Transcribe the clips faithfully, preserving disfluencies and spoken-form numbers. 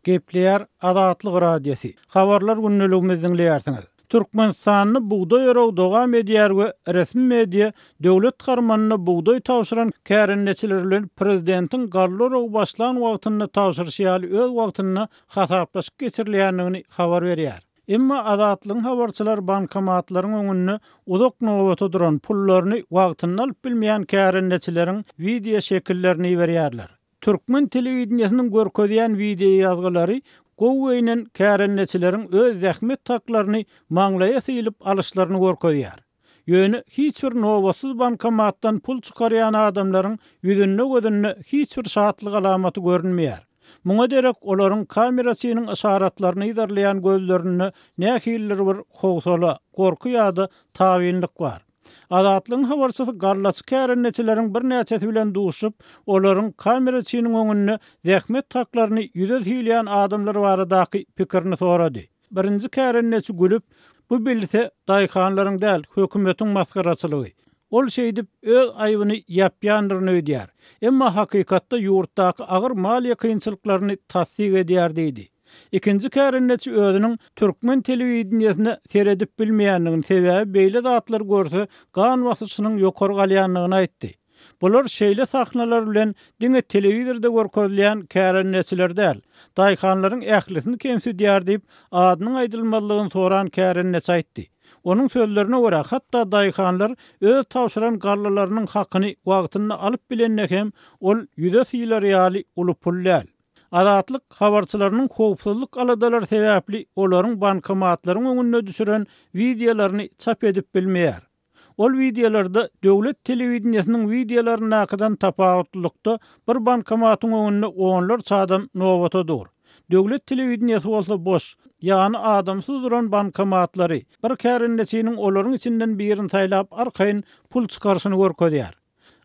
Gepleýär Azatlyk Radiosy. Habarlar gündeligimizi diňleýärsiňiz. Türkmenistanda bugdaý oragy dowam edýär we resmi media döwlet harmanyna bugdaý tabşyran kärendeçiler bilen prezidentiň galla oragy başlan wagtynda tabşyryşy ýaly öz wagtynda hasaplaşyk geçirilýändigini habar berýär. Emma Azatlygyň habarçylary bankomatlaryň öňünde uzak nobata duran pullaryny wagtynda alyp bilmeýän kärendeçileriň wideo şekillerini iberýärler. Türkmen telewideniýesiniň görkezýän wideo ýazgylary gowy geýnen kärendeçileriň öz zähmet haklaryny maňlaýa sylyp alyşlaryny görkezýär. Ýöne hiç bir nobatsyz bankomatdan pul çykarýan adamlaryň ýüzünde gözünde hiç bir şatlyk alamaty görünmeýär. Muňa derek olaryň kameraçynyň yşaratlaryny yzarlaýan gözlerinde nähilidir bir howsala, gorky ýa-da tabynlyk bar. Azatlygyň habarçysy gallaçy kärendeçileriň birnäçesi bilen duşup, olaryň kameraçynyň öňünde zähmet haklaryny ýüze sylaýan adamlar baradaky pikirini sorady. Birinji kärendeçi gülüp, bu bilse daýhanlaryň däl, hökümetiň masgaraçylygy. Ol şeýdip öz aýbyny ýapýandyryny öýdýär. Emma hakykatda ýurtdaky agyr maliýe kynçylyklaryny tassyk edýär diýdi. Ikinji kärendeçi özüniň türkmen telewideniýesine seredip bilmeýändigini, sebäbi beýle zatlar görse gan basyşynyň ýokary galýandygyny aýtdy. Bular şeýle sahnalar bilen diňe telewizorda görkezilýän kärendeçiler däl, daýhanlaryň ählisini kemsidýär diýip, adynyň aýdylmazlygyny soran kärendeçi aýtdy. Onuň sözlerine görä, hatda daýhanlar öz tabşyran gallalarynyň hakyny wagtynda alyp bilende hem ol ýüze sylar ýaly uly pul däl. Azatlyk habarçylarynyň howpsuzlyk aladalary sebäpli olaryň bankomatlaryň öňünde düşüren wideolaryny çap edip bilmeýär. Ol wideolarda döwlet telewideniýesiniň wideolaryndakydan tapawutlylykda bir bankomatyň öňünde onlarça adam nobata dur. Döwlet telewideniýesi bolsa boş, ýany adamsyz duran bankomatlary bir kärendeçiniň olaryň içinden birini saýlap arkaýyn pul çykaryşyny görkezýär.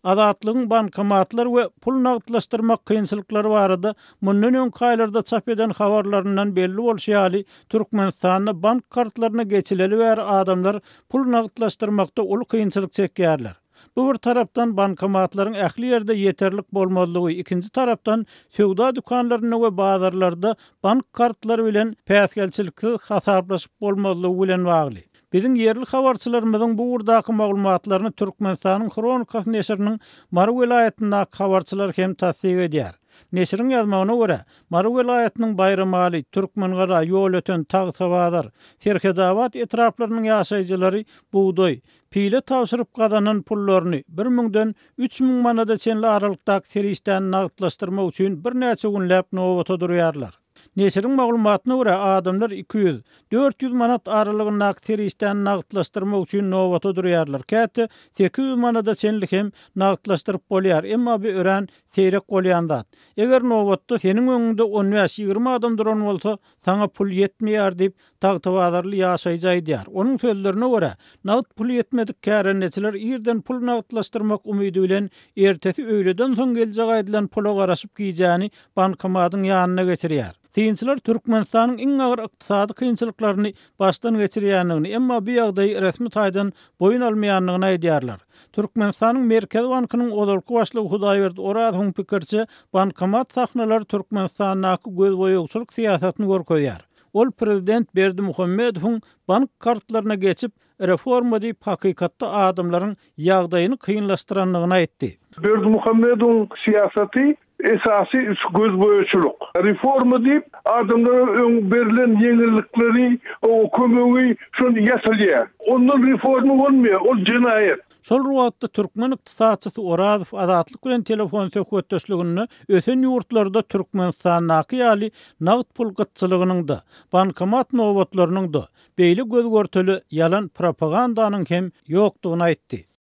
Azatlygyň bankomatlar we pul nagtlaşdyrmak kynçylyklary barada mundan öňki aýlarda çap eden habarlaryndan belli bolşy ýaly, Türkmenistanda bank kartlaryna geçileli bäri adamlar pul nagtlaşdyrmakda uly kynçylyk çekýärler. Bu bir tarapdan bankomatlaryň ähli ýerde ýeterlik bolmazlygy, ikinji tarapdan söwda dükanlarynda we bazarlarda bank kartlary bilen päsgelçiliksiz hasaplaşyp bolmazlygy bilen bagly. Biziň ýerli habarçylarymyzyň bu ugurdaky maglumatlaryny Türkmenistanyň Hronikasy neşiriniň Mary welaýatyndaky habarçylar hem tassyk edýär. Neşiriň ýazmagyna görä, Mary welaýatynyň Baýramaly, Türkmengala, Ýolöten, Tagtabazar, Serhedabat etraplarynyň ýaşaýjylary bugdaý, pile tabşyryp gazanan pullaryny bir müňden üç müň manada çenli aralykdaky serişdäni nagtlaşdyrmak üçin birnäçe günläp nobata durýarlar. Neşiriň maglumatyna görä, adamlar iki ýüz, dört ýüz manat aralygyndaky serişdäni nagtlaşdyrmak üçin nobata durýarlar. Käte sekiz ýüz manada çenli hem nagtlaşdyryp bolýar, emma bu örän seýrek bolýan zat. Eger nobatda seniň öňüňde on bäş, ýigrimi adam duran bolsa, saňa pul ýetmeýär diýip, Tagtabazarly ýaşaýjy aýdýar. Onuň sözlerine görä, nagt pul ýetmedik kärendeçiler irden pul nagtlaşdyrmak umydy bilen ertesi öýleden soň geljek aýdylan pula garaşyp gijäni bankomatyň ýanyna geçirýär. Synçylar Türkmenistanyň iň agyr ykdysady kynçylyklaryny başdan geçirýändigini, emma bu ýagdaýy resmi taýdan boýun almaýandygyny aýdýarlar. Türkmenistanyň Merkezi bankynyň ozalky başlygy Hudaýberdi Orazowyň pikiriçe, bankomat sahnalary Türkmenistandaky gözboýagçylyk syýasatyny görkezýär. Ol prezident Berdimuhamedowyň bank kartlaryna geçip, reforma diýip hakykatda adamlaryň ýagdaýyny kynlaşdyrandygyny aýtdy. Berdimuhamedowyň syýasaty esasy üç gözboýagçylyk. Reforma diýip adamlara öň berlen ýeňillikleri, o kömegi şony ýatyrýar. Ondan reforma bolmaýar, ol jenaýat. Şol wagtda türkmen ykdysatçysy Orazow Azatlyk bilen telefon söhbetdeşliginde ösen ýurtlarda Türkmenistandaky ýaly nagt pul gytçylygynyň-da, bankomat nobatlarynyň-da, beýle göz görteli ýalan propagandanyň hem ýokdugyny aýtdy.